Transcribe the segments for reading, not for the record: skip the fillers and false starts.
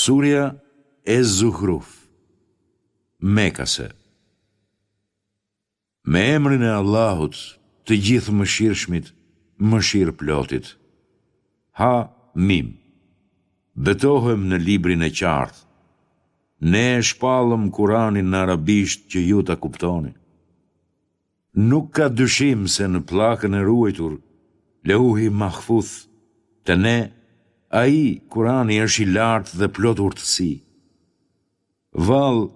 Surja Ez-Zuhruf, Mekase Me emrin e Allahut, të Gjithëmëshirshmit, Mëshirëplotit. Ha Mim. Betohem në Librin e qartë. Ne e shpallëm Kuranin në arabisht që ju ta kuptoni. Nuk ka dyshim se në pllakën e ruajtur, Leuhi Mahfuth, te ne, ai, Kurani, është i lartë dhe plot urtësi. Vallë,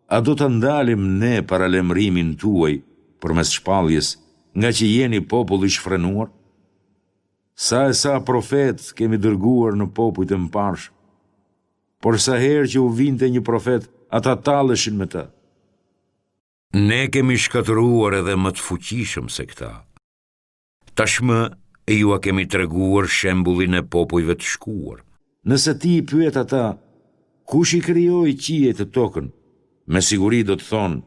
a do ta ndalim ne paralajmërimin tuaj përmes shpalljes, ngaqë jeni popull i shfrenuar? Sa e sa profetë kemi dërguar në popujt e mëparshëm. Por sa herë që u vinte një profet, ata talleshin me të. Ne kemi shkatërruar edhe më të fuqishëm se këta. Tashmë jua kemi treguar shembullin e popujve të shkuar. Nëse ti i pyet ata, Kush i krijoi qiejt e tokën? Me siguri do të thonë,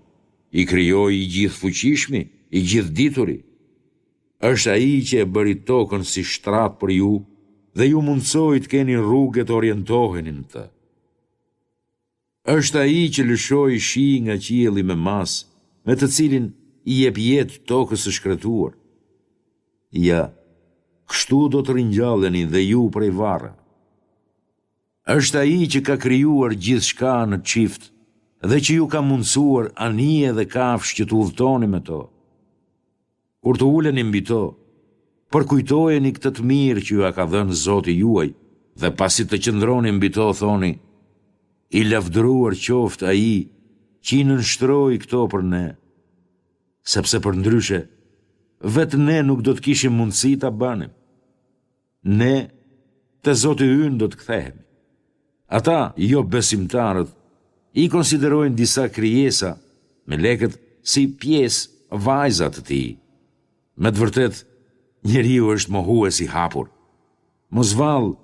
I krijoi i Gjithëfuqishmi, i Gjithëdituri. Është Ai që e bëri tokën si shtrat për ju dhe ju mundësoi të keni rrugë e të orientoheni në të. Është Ai që lëshoi shi nga qielli me masë, me të cilin i jep jetë tokës së shkretuar. Ja, kështu do të ringjalleni dhe ju prej varreve. Është Ai që ka krijuar gjithçka në çift dhe që ju ka mundësuar anije dhe kafshë që të udhëtoni me to. Kur të uleni mbi to, përkujtojeni këtë të mirë që jua ka dhënë Zoti juaj dhe pasi të qëndroni mbi to thoni, I lavdëruar qoftë Ai që i nënshtroi këto për ne, sepse përndryshe, vetë ne nuk do të kishim mundësi ta bënim. Ne, te Zoti ynë do të kthehemi. Ata, jobesimtarët, i konsiderojnë disa krijesa, melekët, si pjesë, vajza të tij. Me të vërtetë, njeriu është mohues i hapur. Mos vallë,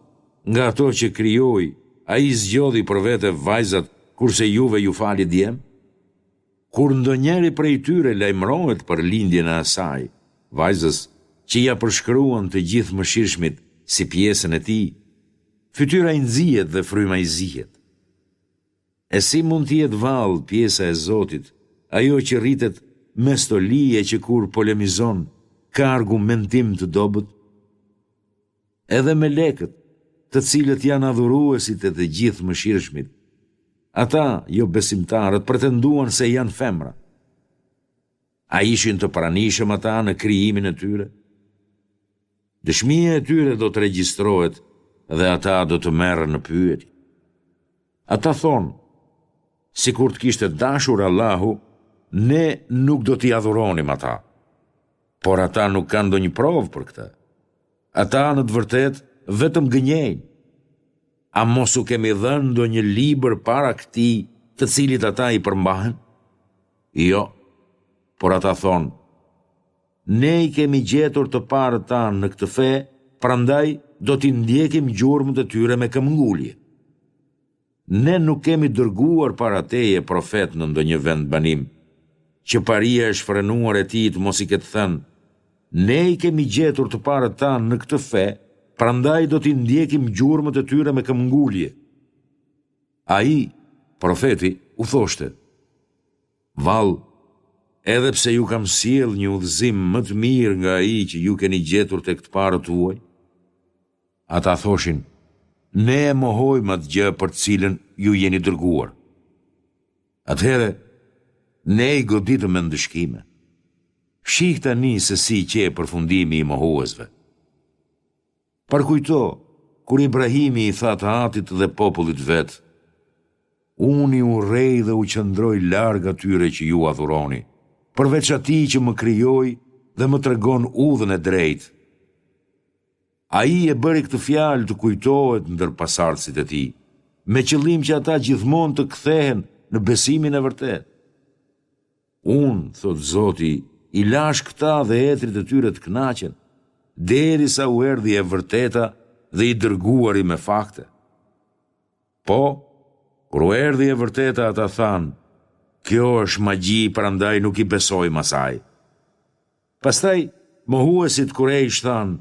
nga ato që krijoi, ai zgjodhi për vete vajzat, kurse juve ju fali djem? Kur ndonjëri prej tyre lajmërohet për lindjen e asaj, vajzës, që ia përshkruan të Gjithëmëshirshmit si pjesën e tij, fytyra i nxihet dhe fryma i zihet. E si mund të jetë vallë pjesa e Zotit, ajo që rritet me stoli e që kur polemizon ka argumentim të dobët? Edhe melekët, të cilët janë adhuruesit e të Gjithëmëshirshmit, ata, jobesimtarët, pretenduan se janë femra. A ishin të pranishëm ata në krijimin e tyre? Dëshmia e tyre do të regjistrohet dhe ata do të merren në pyetje. Ata thonë, sikur të kishte dashur Allahu, ne nuk do t'i adhuronim ata. Por ata nuk kanë ndonjë provë për këtë. Ata në të vërtetë vetëm gënjejnë. A mos u kemi dhënë ndonjë libër para këtij të cilit ata i përmbahen? Jo, por ata thonë, ne i kemi gjetur të parët tanë në këtë fe, prandaj do t'i ndjekim gjurmët e tyre me këmbëngulje. Ne nuk kemi dërguar para teje profet në ndonjë vendbanim, që paria e shfrenuar e tij të mos i ketë thënë, Ne i kemi gjetur të parët tanë në këtë fe, prandaj do t'i ndjekim gjurmët e tyre me këmbëngulje. Ai, profeti, u thoshte, Vallë, edhe pse ju kam sjellë një udhëzim më të mirë nga ai që ju keni gjetur tek të parët tuaj? Ata thoshin, Ne e mohojmë atë gjë për të cilën ju jeni dërguar. Atëherë, ne i goditëm me ndëshkime. Shih tani se si qe përfundimi i mohuesve. Përkujto, kur Ibrahimi i tha të atit dhe popullit të vet, Unë i urrej dhe u qëndroj larg atyre që ju adhuroni, përveç atij që më krijoi dhe më tregon udhën e drejtë. Ai e bëri këtë fjalë të kujtohet ndër pasardhësit e tij, me qëllim që ata gjithmonë të kthehen në besimin e vërtetë. Unë, thotë Zoti, i lashë këta dhe etërit e tyre të kënaqen, derisa u erdhi e vërteta dhe i dërguari me fakte. Po, kur u erdhi e vërteta ata thanë, kjo është magji prandaj nuk i besojmë asaj. Pastaj, mohuesit kurejsh thanë,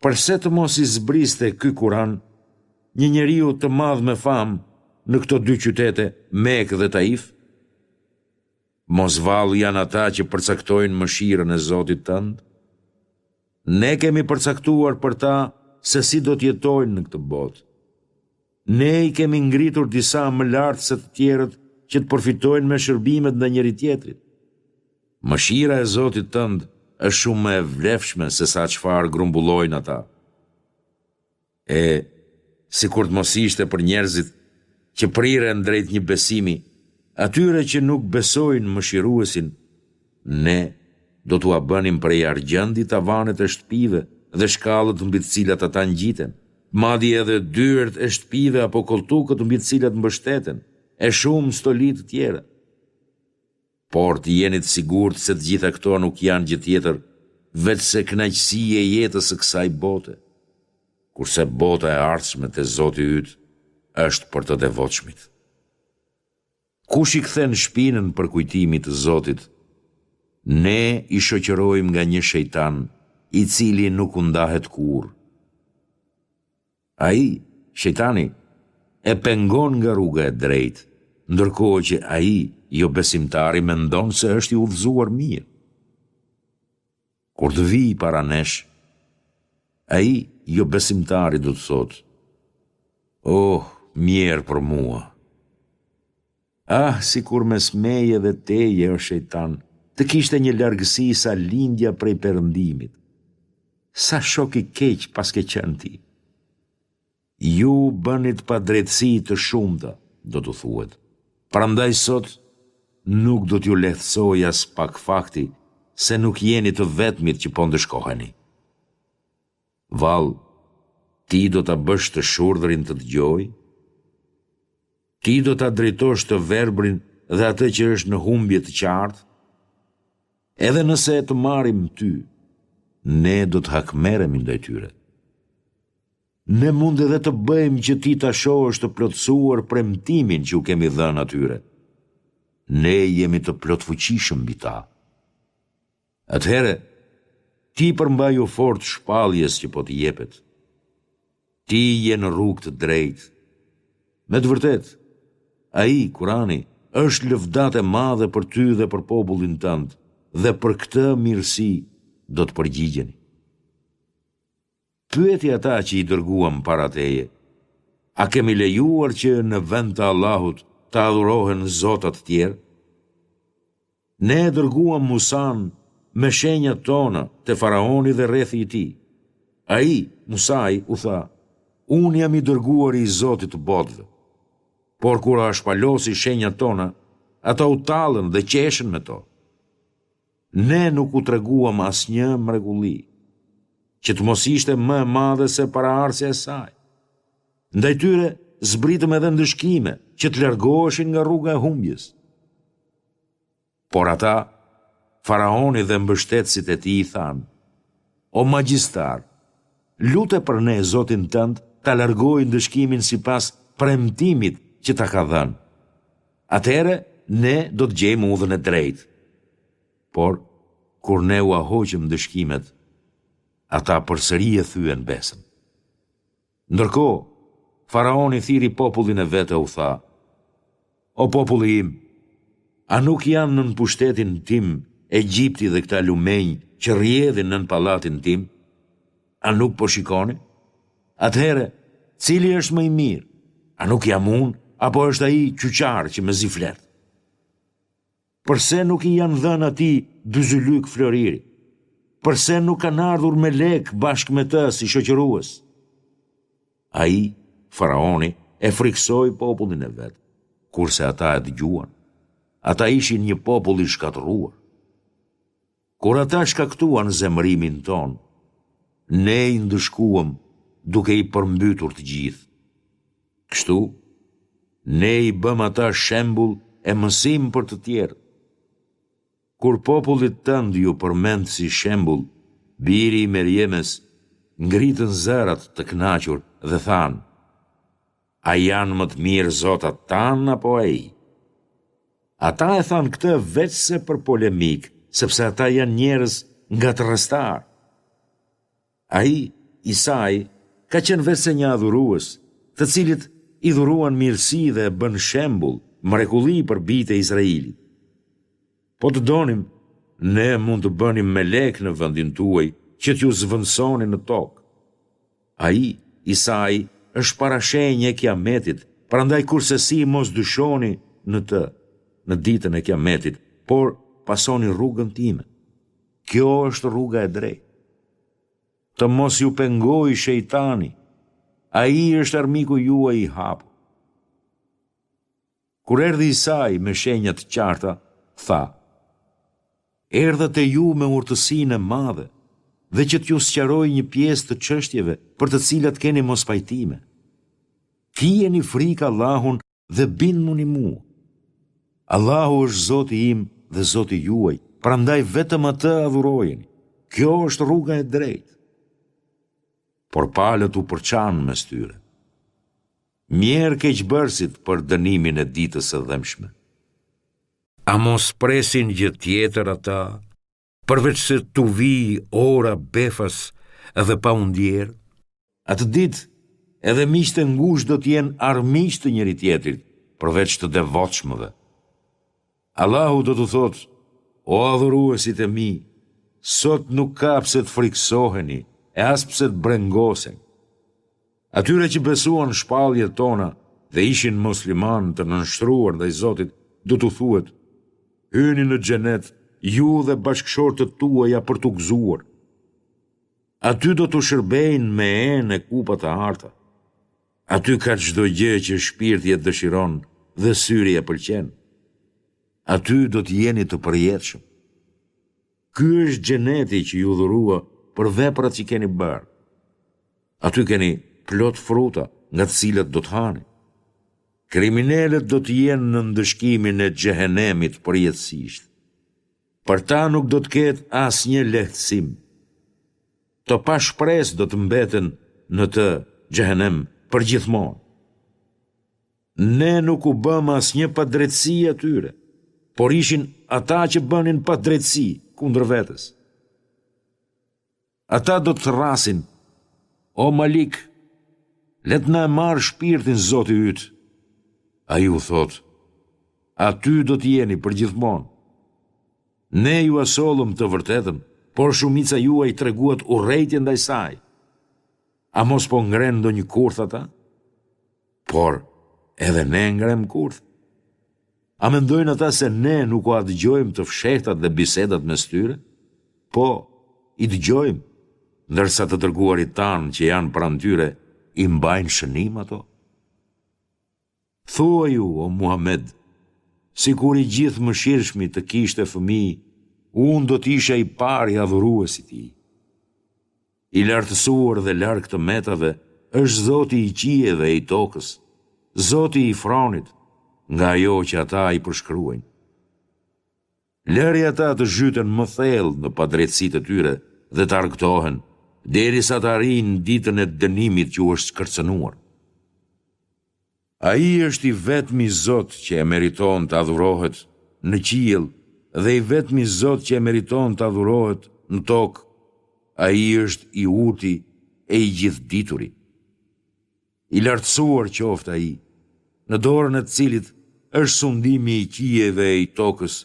Përse të mos i zbriste ky Kuran? një njeriu të madh me famë në këto dy qytete, Mekë dhe Taif? Mos vallë janë ata që përcaktojnë mëshirën e Zotit tënd? Ne kemi përcaktuar për ta se si do të jetojnë në këtë botë. Ne i kemi ngritur disa më lart se të tjerët që të përfitojnë me shërbimet ndaj njëri-tjetrit. Mëshira e Zotit tënd është shumë më e vlefshme se sa çfarë grumbullojnë ata. E, sikur të mos ishte për njerëzit që priren drejt një besimi, atyre që nuk besojnë mëshiruesin, ne do t'ua bënim prej argjendi tavanet e shtëpive dhe shkallët mbi të cilat ata ngjiten, madje edhe dyert e shtëpive apo kolltukët mbi të cilat mbështeten, e shumë stoli të tjera. Por të jeni të sigurt se të gjitha këto nuk janë gjë tjetër veçse kënaqësi e jetës së kësaj bote, kurse bota e ardhshme te Zoti yt është për të devotshmit. Kush i kthen shpinën përkujtimit të Zotit, Ne i shoqërojmë nga një shejtan i cili nuk u ndahet kurrë. Ai, shejtani, e pengon nga rruga e drejtë, ndërkohë që ai, jobesimtari, mendon se është i udhëzuar mirë. Kur të vijë para nesh, ai, jobesimtari, do të thotë, Oh, mjerë për mua! Ah, sikur mes meje dhe teje, o shejtan, të kishte një largësi sa lindja prej perëndimit. Sa shok i keq paske qenë ti! Ju bënit padrejtësi të shumta, do t'u thuhet. Prandaj sot nuk do t'ju lehtësojë aspak fakti se nuk jeni të vetmit që po ndëshkoheni. Vallë, ti do ta bësh të shurdhrin të dëgjojë? Ti do ta drejtosh të verbrin dhe atë që është në humbje të qartë? Edhe nëse të marrim ty, ne do të hakmerremi ndaj tyre. Ne mund edhe të bëjmë që ti ta shohësh të plotësuar premtimin që u kemi dhënë atyre. Ne jemi të plotfuqishëm mbi ta. Atëherë, ti përmbaju fort shpalljes që po të jepet. Ti je në rrugë të drejtë. Me të vërtetë, ai, Kurani, është lëvdatë e madhe për ty dhe për popullin tënd dhe për këtë mirësi do të përgjigjeni. Pyeti ata që i dërguam para teje, A kemi lejuar që në vend të Allahut të adhurohen zota të tjerë? Ne e dërguam Musanë me shenjat tona te Faraoni dhe rrethi i tij. Ai, Musai, u tha, Unë jam i dërguari i Zotit të botëve. Por kur ua shpalosi shenjat tona, ata u tallën dhe qeshën me to. Ne nuk u treguam asnjë mrekulli, që të mos ishte më e madhe se paraardhësja e saj. Ndaj tyre zbritëm edhe ndëshkime që të largoheshin nga rruga e humbjes. Por ata, faraoni dhe mbështetësit e tij i thanë, O magjistar, lute për ne Zotin tënd ta largojë ndëshkimin sipas premtimit që ta ka dhënë. Atëherë ne do të gjejmë udhën e drejtë. Por, kur ne ua hoqëm ndëshkimet, ata përsëri e thyen besën. Ndërkohë, faraoni thirri popullin e vet e u tha, O populli im, a nuk janë nën pushtetin tim Egjipti dhe këta lumenj që rrjedhin nën pallatin tim? A nuk po shikoni? Atëherë, cili është më i mirë? A nuk jam unë, apo është ai qyqar që mezi flet? Përse nuk i janë dhënë atij byzylykë floriri? Përse nuk kanë ardhur melekë bashkë me të si shoqërues? Ai, faraoni, e frikësoi popullin e vet, kurse ata e dëgjuan. Ata ishin një popull i shkatërruar. Kur ata shkaktuan zemërimin tonë, ne i ndëshkuam duke i përmbytur të gjithë. Kështu, ne i bëmë ata shembull e mësim për të tjerët. Kur popullit tënd iu përmend si shembull biri i Merjemes, ngritën zërat të kënaqur dhe thanë, A janë më të mirë zotat tanë apo ai? Ata e thanë këtë veçse për polemikë, sepse ata janë njerëz ngatërrestarë. Ai, Isai, ka qenë veçse një adhurues, të cilit i dhuruan mirësi dhe e bënë shembull, mrekulli për bijtë e Izraelit. Po të donim, ne mund të bënim melekë në vendin tuaj që t'ju zëvendësonin në tokë. Ai, Isai, është parashenjë e Kiametit, prandaj kurrsesi mos dyshoni në të, në ditën e Kiametit, por pasoni rrugën time. Kjo është rruga e drejtë. Të mos ju pengojë shejtani, ai është armiku juaj i hapur. Kur erdhi Isai me shenja të qarta, tha, Erdha te ju me urtësinë e madhe dhe që t'ju sqaroj një pjesë të çështjeve për të cilat keni mospajtime. Kijeni frikë Allahun dhe bindmuni mua. Allahu është Zoti im dhe Zoti juaj, prandaj vetëm Atë adhurojeni. Kjo është rruga e drejtë. Por palët u përçanë mes tyre. Mjerë keqbërësit për dënimin e ditës së dhembshme. A mos presin gjë tjetër ata, përveçse t'u vijë ora befas dhe pa u ndjerë? Atë ditë, edhe miqtë e ngushtë do të jenë armiq të njëri-tjetrit, përveç të devotshmëve. Allahu do t'u thotë, O adhuruesit e mi, sot nuk ka pse të frikësoheni e as pse të brengoseni. Atyre që besuan shpalljet tona dhe ishin muslimanë të nënshtruar ndaj Zotit, do t'u thuhet, Hyni në xhenet, ju dhe bashkëshortët tuaja për t'u gëzuar. Aty do t'u shërbejnë me enë e kupa të arta. Aty ka çdo gjë që shpirti e dëshiron dhe syri e pëlqen. Aty do të jeni të përjetshëm. Ky është xheneti që ju dhurua për veprat që keni bërë. Aty keni plot fruta nga të cilat do të hani. Kriminelët do të jenë në ndëshkimin e xhehenemit përjetësisht. Për ta nuk do të ketë asnjë lehtësim. Të pashpresë do të mbeten në të xhehenem përgjithmonë. Ne nuk u bëmë asnjë padrejtësi atyre, por ishin ata që bënin padrejtësi kundër vetes. Ata do të thërrasin, o Malik, le të na e marrë shpirtin Zoti yt. Ai u thotë, aty do të jeni përgjithmonë. Ne jua sollëm të vërtetën, por shumica juaj treguat urrejtje ndaj saj. A mos po ngrenë ndonjë kurth ata? Por, edhe ne ngremë kurth. A mendojnë ata se ne nuk ua dëgjojmë të fshehtat dhe bisedat mes tyre? Po, i dëgjojmë, ndërsa të dërguarit tanë që janë pranë tyre i mbajnë shënim ato. Thuaju, o Muhamed, sikur i Gjithëmëshirshmi të kishte fëmijë, unë do të isha i pari adhurues i tij. I lartësuar dhe larg të metave është Zoti i qiejve e i tokës, Zoti i fronit, nga ajo që ata i përshkruajnë. Lëri ata të zhyten më thellë në padrejtësitë e tyre dhe të argëtohen, derisa të arrijnë ditën e dënimit që u është kërcënuar. Ai është i vetmi Zot që e meriton të adhurohet në qiell dhe i vetmi Zot që e meriton të adhurohet në tokë, Ai është i Urti e i Gjithëdituri. I lartësuar qoftë Ai, në dorën e të cilit është sundimi i qiejve e i tokës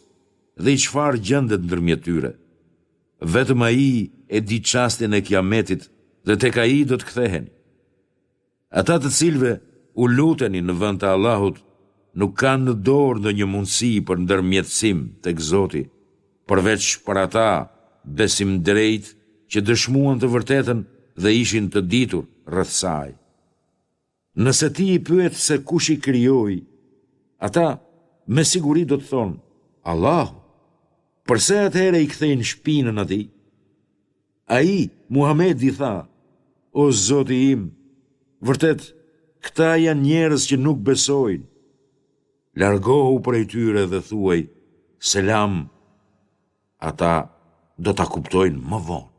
dhe i çfarë gjendet ndërmjet tyre. Vetëm Ai e di çastin e Kiametit dhe tek Ai do të ktheheni. Ata të cilëve u luteni në vend të Allahut nuk kanë në dorë ndonjë mundësi për ndërmjetësim tek Zoti, përveç për ata besimdrejtë që dëshmuan të vërtetën dhe ishin të ditur rreth saj. Nëse ti i pyet se kush i krijoi, ata me siguri do të thonë, Allahu. Përse atëherë i kthejnë shpinën atij? Ai, Muhamedi, tha, O Zoti im, vërtet, këta janë njerëz që nuk besojnë. Largohu prej tyre dhe thuaj, Selam, ata do ta kuptojnë më vonë.